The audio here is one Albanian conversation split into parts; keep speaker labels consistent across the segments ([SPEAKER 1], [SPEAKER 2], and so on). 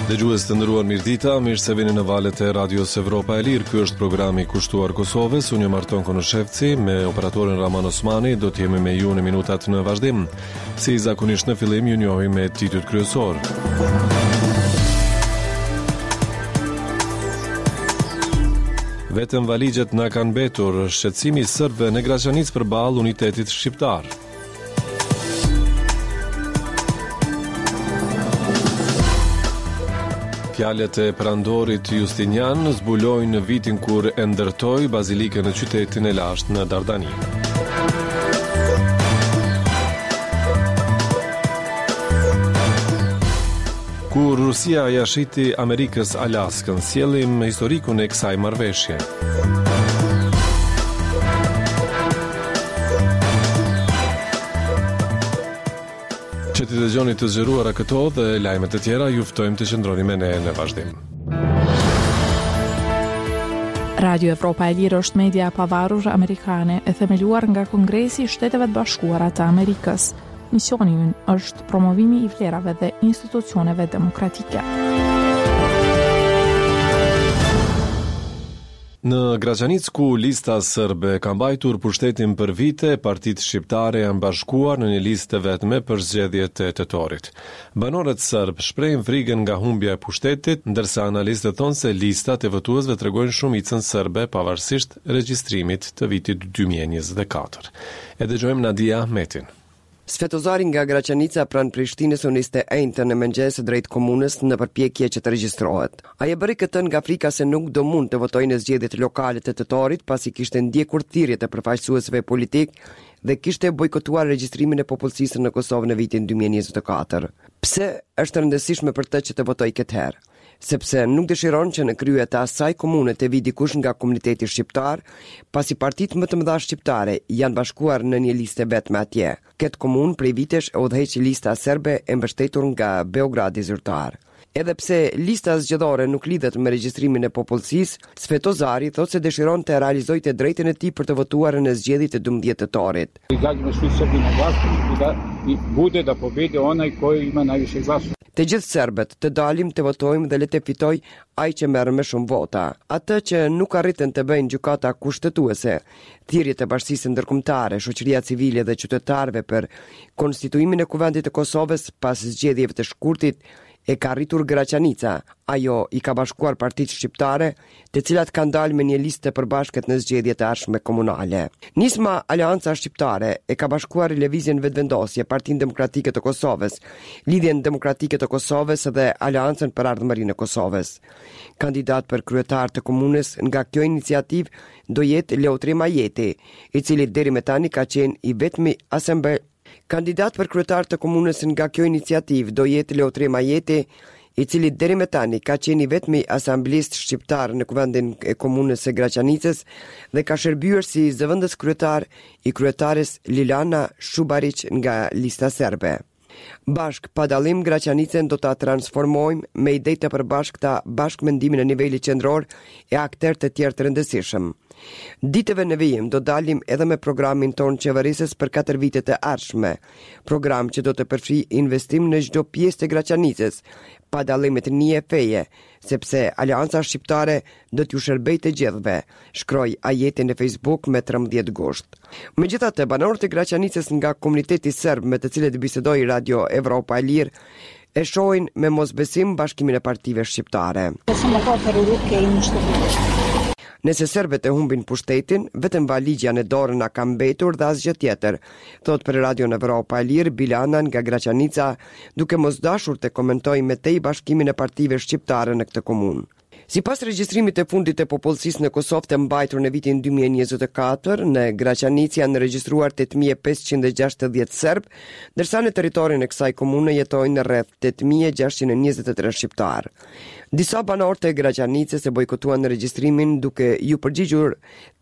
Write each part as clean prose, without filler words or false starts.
[SPEAKER 1] Dëgjues të nderuar mirëdita, mirë se vini në valët e Radios Evropa e Lirë. Ky është programi kushtuar Kosovës. Unë jam Arton Konushevci, me operatorin Rrahman Osmani, do të jemi me ju në minutat në vazhdim. Si zakonisht në fillim ju njohim me titujt kryesorë. Vetëm valixhet na kanë mbetur, shqetësimi i serbëve në Graçanicë përballë unitetit shqiptar. Fjalët e perandorit Justinian zbulojnë vitin kur e ndërtoi bazilikën në qytetin e lashtë në Dardani. Kur Rusia ia shiti Amerikës Alaskën, sjellim historikun e kësaj marrëveshje. Që t'i dëgjoni të zgjeruara këto dhe lajme të tjera, ju ftojmë të qëndroni me ne në vazhdim.
[SPEAKER 2] Radio Evropa e Lirë është media e pavarur amerikane e themeluar nga Kongresi i Shteteve të Bashkuara të Amerikës. Misioni ynë është promovimi i vlerave dhe institucioneve demokratike.
[SPEAKER 1] Në Graçanicë ku Lista Sërbe ka mbajtur pushtetin për vite, partitë shqiptare janë bashkuar në një listë të vetme për zgjedhjet e tetorit. Banorët sërbë shprehin frikën nga humbja e pushtetit, ndërsa analistët thonë se listat e votuesve tregojnë shumicën sërbe pavarësisht regjistrimit të vitit 2024. E dëgjojmë Nadia Ahmetin.
[SPEAKER 3] Svetozari nga Graçanica pranë Prishtinës u nis të enjten në mëngjes drejt komunës në përpjekje që të regjistrohet. Ai e bëri këtë nga frika se nuk do mund të votojë në zgjedhjet lokale të tetorit pasi kishte ndjekur thirrjet e përfaqësuesve politikë dhe kishte bojkotuar regjistrimin e popullsisë në Kosovë në vitin 2024. Pse është e rëndësishme për të që të votojë këtë herë? sepse nuk dëshiron që në krye të asaj komune të vijë dikush nga komuniteti shqiptar, pasi partitë më të mëdha shqiptare janë bashkuar në një listë të vetme atje. Këtë komunë prej vitesh e udhëheq lista serbe e mbështetur nga Beogradi zyrtar. Edhe pse lista zgjedhore nuk lidhet me regjistrimin e popullsisë, Svetozari thotë se dëshiron të realizojë të drejtën e tij për të votuar në zgjedhjet e 12 tetorit.
[SPEAKER 4] Izađemo svi Srbi na glasovanje i da i bude da pobedi onaj koji ima najviše glasova.
[SPEAKER 3] Të gjithë serbët, të dalim të votojmë dhe le të fitojë ai që merr më shumë vota. Atë që nuk arritën të bëjnë gjykata kushtetuese, thirrjet e bashkësisë ndërkombëtare, shoqëria civile dhe qytetarëve për konstituimin e Kuvendit të Kosovës pas zgjedhjeve të shkurtit e ka arritur Graçanica. Ajo i ka bashkuar partitë shqiptare, të cilat kanë dalë me një listë të përbashkët në zgjedhjet e ardhshme komunale. Nisma Aleanca Shqiptare e ka bashkuar Lëvizjen Vetëvendosje, Partinë Demokratike të Kosovës, Lidhjen Demokratike të Kosovës dhe Aleancën për Ardhmërinë e Kosovës. Kandidat për kryetar të komunës nga kjo iniciativë do jetë Leutrim Ajeti, i cili deri më tani ka qenë i vetmi asamble Kandidat për kryetar të komunës nga kjo iniciativë do jetë Leutrim Ajeti, i cili deri më tani ka qenë i vetmi asamblist shqiptar në kuvendin e komunës së Graçanicës dhe ka shërbyer si zëvendës kryetar i kryetares Lilana Shubariq nga Lista Serbe. Bashkë pa dallim Graçanicën do ta transformojmë me ide të përbashkëta bashkëmendimin e nivelit qendror e akterë të tjerë të rëndësishëm. Ditëve në vijim do dalim edhe me programin tonë qeverisës për 4 vitet e ardhshme, program që do të përfshijë investim në çdo pjesë të Graçanicës, pa dallim etnie e feje, sepse Aleanca Shqiptare do t'ju shërbejë të gjithëve, shkroi Ajeti në Facebook me 13 gusht. Megjithatë, banorët e Graçanicës nga komuniteti serb me të cilët bisedoi Radio Evropa e Lirë, e shohin me mosbesim bashkimin e partive shqiptare. Nëse serbët e humbin pushtetin, vetëm valixhja në dorë na ka mbetur dhe asgjë tjetër, thotë për Radion Evropa e Lirë Bilana nga Graçanica, duke mos dashur të komentojë më tej bashkimin e partive shqiptare në këtë komunë. Sipas regjistrimit të fundit të popullsisë në Kosovë të mbajtur në vitin 2024, në Graçanicë janë regjistruar 8560 serbë, ndërsa në territorin e kësaj komune jetojnë rreth 8623 shqiptarë. Disa banorë të Graçanicës e bojkotuan regjistrimin duke iu përgjigjur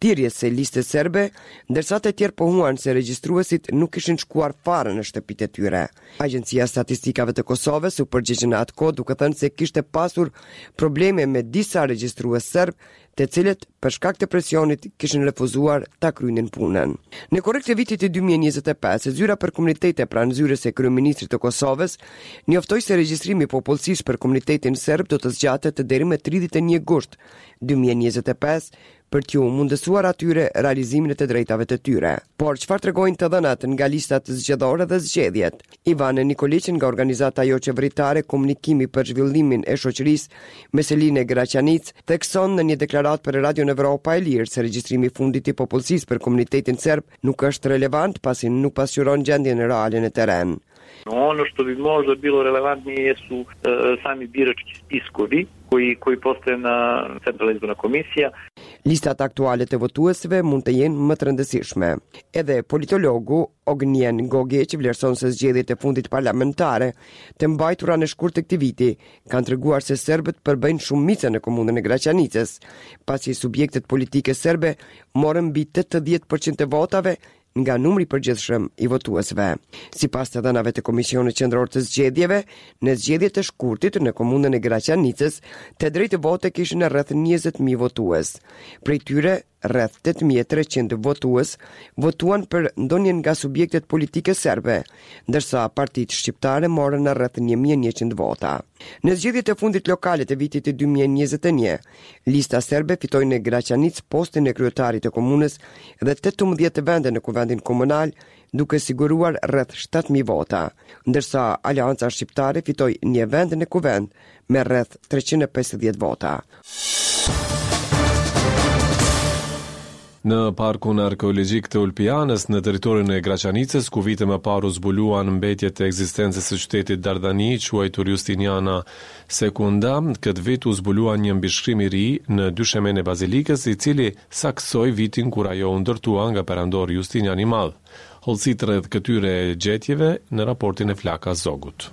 [SPEAKER 3] thirrjes së listës serbe, ndërsa të tjerë pohuan se regjistruesit nuk kishin shkuar fare në shtëpitë e tyre. Agjencia e Statistikave të Kosovës u përgjigj në atë kohë duke thënë se kishte pasur probleme me disa regjistrues serbë, Të cilët, për shkak të presionit, kishin refuzuar ta kryenin punën. Në korrik të vitit 2025, Zyra për Komunitete pranë zyrës së Kryeministrit të Kosovës njoftoi se regjistrimi i popullsisë për komunitetin serb do të zgjatet deri më 31 gusht 2025 për t'ju mundësuar atyre realizimin e të drejtave të tyre. Por çfarë tregojnë të dhënat nga listat zgjedhore dhe zgjedhjet? Ivan Nikoliq nga organizata joqeveritare Komunikimi për Zhvillimin e Shoqërisë me seli në Graçanicë, thekson në një deklaratë për Radion Evropa e Lirë se regjistrimi i fundit i popullsisë për komunitetin serb nuk është relevant pasi nuk pasqyron gjendjen reale në terren.
[SPEAKER 5] Ono što bi možda bilo relevantnije jesu sami birački spiskovi koji, koji postoje na Centralna izborna komisija.
[SPEAKER 3] Listat aktuale të votuesve mund të jenë më të rëndësishme. Edhe politologu Ognjen Gogiq vlerëson se zgjedhjet e fundit parlamentare të mbajtura në shkurt të këtij viti kanë treguar se serbët përbëjnë shumicën në komunën e Graçanicës, pasi subjektet politike serbe morën mbi 80% të votave nga numri i përgjithshëm i votuesve. Sipas të dhënave të Komisionit Qendror të Zgjedhjeve, në zgjedhjet e shkurtit në komunën e Graçanicës, të drejtë vote kishin rreth 20.000 votues. Prej tyre, Rreth 8300 votues votuan për ndonjë nga subjektet politike serbe, ndërsa partitë shqiptare morën rreth 1100 vota. Në zgjedhjet e fundit lokale të vitit 2021, Lista Serbe fitoi në Graçanicë postin e kryetarit të komunës dhe 18 vende në Kuvendin Komunal, duke siguruar rreth 7000 vota, ndërsa Aleanca Shqiptare fitoi një vend në Kuvend me rreth 350 vota.
[SPEAKER 1] Në parkun arkeologjik të Ulpianës, në territorin e Graçanicës, ku vite më parë u zbuluan mbetjet e ekzistencës së qytetit Dardani, quajtur Justiniana Secunda, këtë vit u zbulua një mbishkrim i ri në dyshemenë e bazilikës, i cili saktësoi vitin kur ajo u ndërtua nga perandori Justinian i Madh. Hollësitë rreth këtyre gjetjeve në raportin e Flaka Zogut.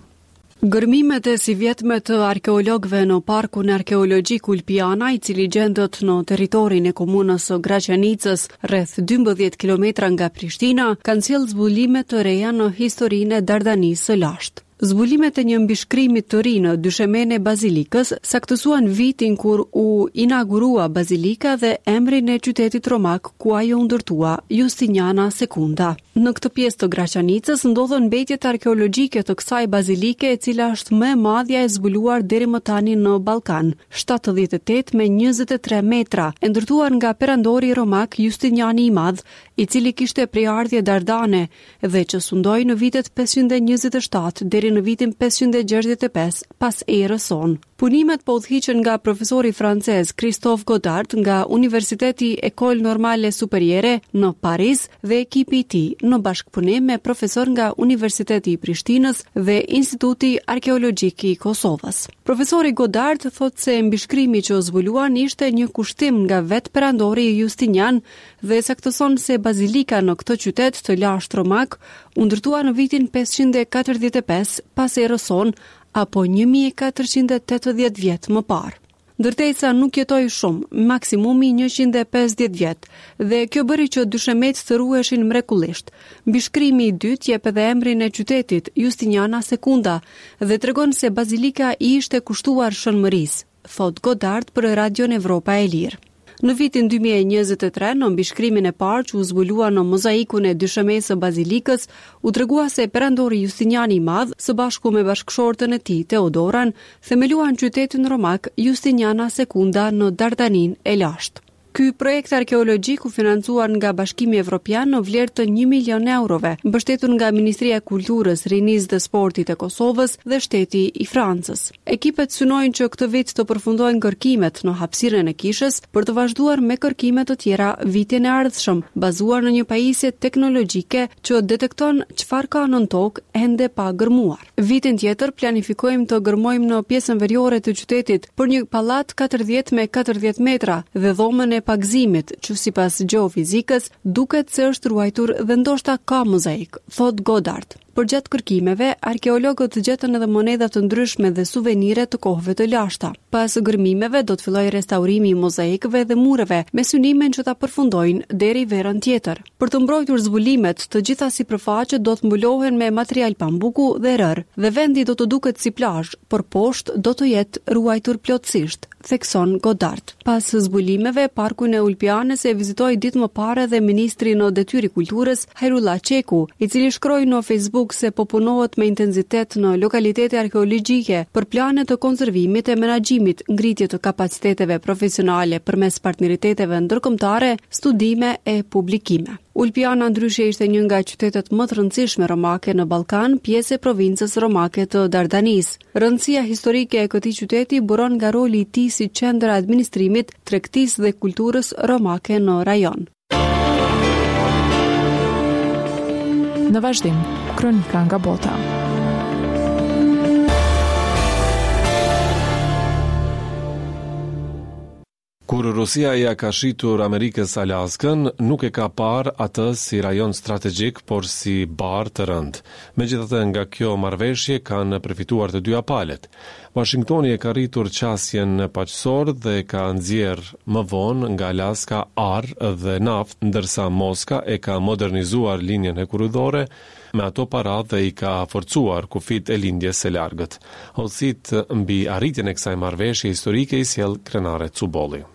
[SPEAKER 6] Gërmimet e sivjetme të arkeologëve në Parkun Arkeologjik Ulpiana, i cili gjendet në territorin e komunës së Graçanicës, rreth 12 kilometra nga Prishtina, kanë sjellë zbulime të reja në historinë e Dardanisë së lashtë. Zbulimet e një mbishkrimi të ri në dyshemenë e bazilikës saktësuan vitin kur u inaugurua bazilika dhe emrin e qytetit romak ku ajo u ndërtua, Justiniana Secunda. Në këtë pjesë të Graçanicës ndodhen mbetjet arkeologjike të kësaj bazilike e cila është më e madhja e zbuluar deri më tani në Ballkan, 78 me 23 metra, e ndërtuar nga perandori romak Justiniani i Madh, i cili kishte prejardhje dardane dhe që sundoi në vitet 527 deri në vitin 565 pas erës sonë. Punimet po udhëhiqen nga profesori francez Christophe Godard nga Universiteti École Normale Supérieure në Paris dhe ekipi i tij, në bashkëpunim me profesorë nga Universiteti i Prishtinës dhe Instituti Arkeologjik i Kosovës. Profesori Godard thotë se mbishkrimi që zbuluan ishte një kushtim nga vetë perandori Justinian dhe saktëson se bazilika në këtë qytet të lashtë romak u ndërtua në vitin 545 pas erës sonë apo 1480 vjet më parë. Ndërtesa nuk jetoi shumë, maksimumi 150 vjet, dhe kjo bëri që dyshemetë të ruheshin mrekullisht. Mbishkrimi i dytë jep edhe emrin e qytetit, Justiniana Secunda, dhe tregon se bazilika i ishte kushtuar Shën Mërisë. thotë Godard për Radion Evropa e Lirë. Në vitin 2023, në mbishkrimin e parë që u zbulua në mozaikun e dyshemesë së bazilikës, u tregua se perandori Justiniani i Madh, së bashku me bashkëshorten e tij, Teodoran, themeluan qytetin romak Justiniana Secunda në Dardaninë e lashtë. Ky projekt arkeologjik u financua nga Bashkimi Evropian në vlerë të një milion eurove, mbështetur nga Ministria e Kulturës, Rinisë dhe Sportit e Kosovës dhe shteti i Francës. Ekipet synojnë që këtë vit të përfundojnë kërkimet në hapësirën e kishës për të vazhduar me kërkime të tjera vitin e ardhshëm, bazuar në një pajisje teknologjike që detekton çfarë ka nën tokë ende pa gërmuar. Vitin tjetër planifikojmë të gërmojmë në pjesën veriore të qytetit për një pallat 40 me 40 metra dhe dhomën e pagëzimit, që sipas gjeofizikës duket se është ruajtur dhe ndoshta ka mozaik, thotë Godard. Përgjatë kërkimeve, arkeologët gjetën edhe monedha të ndryshme dhe suvenire të kohëve të lashta. Pas gërmimeve do të fillojë restaurimi i mozaikëve dhe mureve, me synimin që ta përfundojnë deri verën tjetër. Për të mbrojtur zbulimet, të gjitha sipërfaqet do të mbulohen me material pambuku dhe rërë, dhe vendi do të duket si plazh, por poshtë do të jetë ruajtur plotësisht, thekson Goddard. Pas zbulimeve, parkun e Ulpianës e vizitoi ditë më parë edhe ministri në detyrë i Kulturës, Hajrullah Çeku, i cili shkroi në Facebook se po punohet me intensitet në lokalitete arkeologjike për plane të konservimit e menaxhimit, ngritje të kapaciteteve profesionale përmes partneriteteve ndërkombëtare, studime e publikime. Ulpiana ndryshe ishte një nga qytetet më të rëndësishme romake në Ballkan, pjesë e provincës romake të Dardanisë. Rëndësia historike e këtij qyteti buron nga roli i tij si qendër e administrimit, tregtisë dhe kulturës romake në rajon.
[SPEAKER 2] Në vazhdim, kronika nga bota.
[SPEAKER 1] Kur Rusia ia ka shitur Amerikës Alaskën, nuk e ka parë atë si rajon strategjik, por si barrë të rëndë. Megjithatë, nga kjo marrëveshje kanë përfituar të dyja palët. Uashingtoni e ka rritur qasjen në Paqësor dhe ka nxjerrë më vonë nga Alaska ar dhe naftë, ndërsa Moska e ka modernizuar linjën hekurudhore me ato para dhe i ka forcuar kufijtë e Lindjes së Largët. Hollësitë mbi arritjen e kësaj marrëveshje historike i sjell Krenare Cubolli.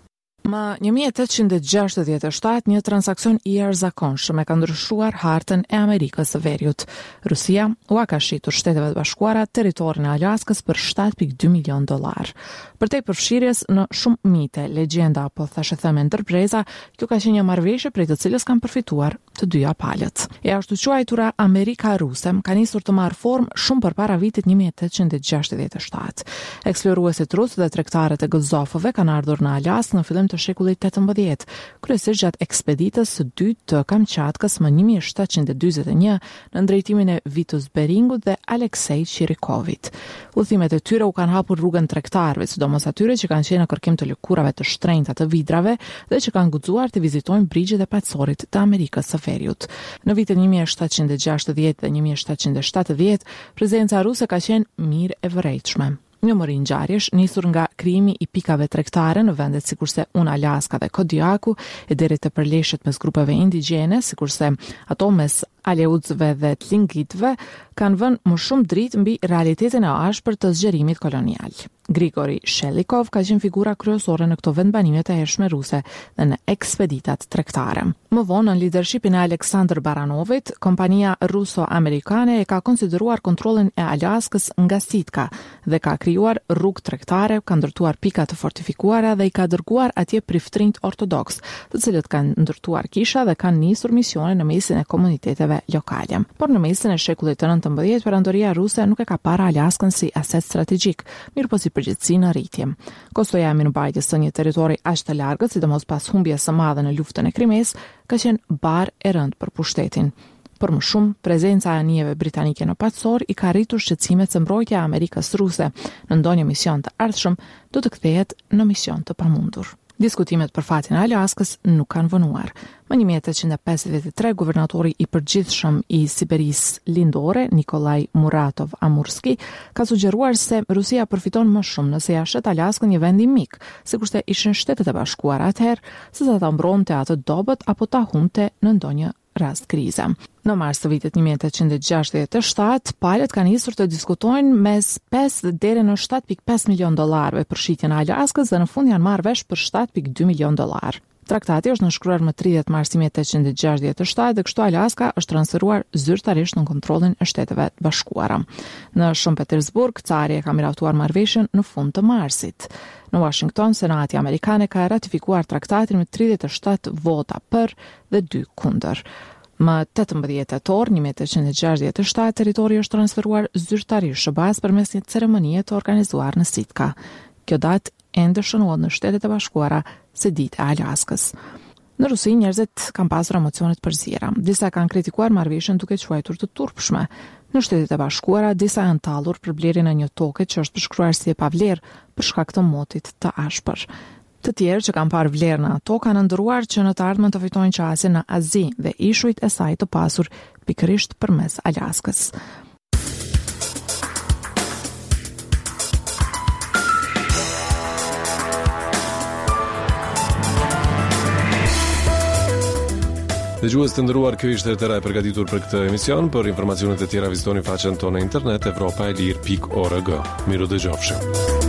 [SPEAKER 2] Më 1867, një transaksion i jashtëzakonshëm e ka ndryshuar hartën e Amerikës së Veriut. Rusia ua ka shitur Shteteve të Bashkuara territorin e Alaskës për 7.2 milion dollarë. Përtej përfshirjes në shumë mite, legjenda apo thashetheme ndër breza, kjo ka qenë një marrëveshje prej të cilës kanë përfituar të dyja palët. E ashtuquajtura Amerika Ruse ka nisur të marrë formë shumë përpara vitit 1867. Eksploruesit rusë dhe tregtarët e gëzofëve kanë ardhur në Alaskë në fillim të shekullit 18, kryesisht gjatë ekspeditës së dytë të Kamçatkës më 1741 nën drejtimin e Vitus Beringut dhe Aleksej Çirikovit. Udhëtimet e tyre u kanë hapur rrugën tregtarëve, sidomos atyre që kanë qenë në kërkim të lëkurave të shtrenjta të vidrave dhe që kanë guxuar të vizitojnë brigjet e Paqësorit të Amerikës së Veriut. Në vitet 1760 dhe 1770, prezenca ruse ka qenë mirë e vërejtshme. Një mori ngjarjesh, nisur nga krijimi i pikave tregtare në vendet sikurse Unalaska dhe Kodiaku, e deri te përleshjet mes grupeve indigjene, sikurse ato mes Aleutëve dhe Tlingitëve, kanë vënë më shumë dritë mbi realitetin e ashpër të zgjerimit kolonial. Grigori Shelikov ka qenë figura kryesore në këto vendbanime të hershme ruse dhe në ekspeditat tregtare. Më vonë, nën lidershipin e Aleksandër Baranovit, kompania ruso-amerikane e ka konsideruar kontrollin e Alaskës nga Sitka dhe ka krijuar rrugë tregtare, ka ndërtuar pika të fortifikuara dhe i ka dërguar atje priftërinjtë ortodoksë, të cilët kanë ndërtuar kisha dhe kanë nisur misione në mesin e komuniteteve lokale. Por në mesin e shekullit të 19, perandoria ruse nuk e ka parë Alaskën si aset strategjik, mirëpo si përgjegjësi në rritje. Kostoja e mirëmbajtjes së një territori aq të largët, sidomos pas humbjes së madhe në luftën e Krimesë, ka qenë barrë e rëndë për pushtetin. Për më shumë, prezenca e anijeve britanike në Paqësor i ka rritur shqetësimet se mbrojtja e Amerikës ruse në ndonjë mision të ardhshëm do të kthehet në mision të pamundur. Diskutimet për fatin e Alaskës nuk kanë vonuar. Më 1853, guvernatori i përgjithshëm i Siberisë Lindore, Nikolaj Muratov Amurski, ka sugjeruar se Rusia përfiton më shumë nëse ia shet Alaskën një vendi mik, sikurse ishin Shtetet e Bashkuara atëherë, sesa ta mbronte atë dobët apo ta humbte në ndonjë rast krize. Në mars të vitit 1867, palët kanë nisur të diskutojnë mes 5 deri në 7.5 milion dollarëve për shitjen e Alaskës dhe në fund janë marrë vesh për 7.2 milion dollarë. Traktati është nënshkruar më 30 mars 1867 dhe kështu Alaska është transferuar zyrtarisht në kontrollin e Shteteve të Bashkuara. Në Shën Petersburg, cari e ka miratuar marrëveshjen në fund të marsit. Në Washington, Senati amerikan e ka ratifikuar traktatin me 37 vota për dhe dy kundër. Më 18 tetor 1867, territori është transferuar zyrtarisht SHBA-së përmes një ceremonie të organizuar në Sitka. Kjo datë ende shënohet në Shtetet e Bashkuara si Dita e Alaskës. Në Rusi njerëzit kanë pasur emocione të përziera. Disa kanë kritikuar marrëveshjen duke quajtur të turpshme. Në Shtetet e Bashkuara disa janë tallur për blerjen e një toke që është përshkruar si e pavlerë për shkak të motit të ashpër. Të tjerë që kanë parë vlerë në ato kanë ëndërruar që në të ardhmen të fitojnë qasje në Azi dhe ishujt e saj të pasur pikërisht përmes Alaskës.
[SPEAKER 1] Dëgjues të nderuar, kjo ishte e tëra e përgatitur për këtë emision. Për informacionet e tjera vizitoni faqen tonë në internet evropaelire.org. Mirudëgjofshim.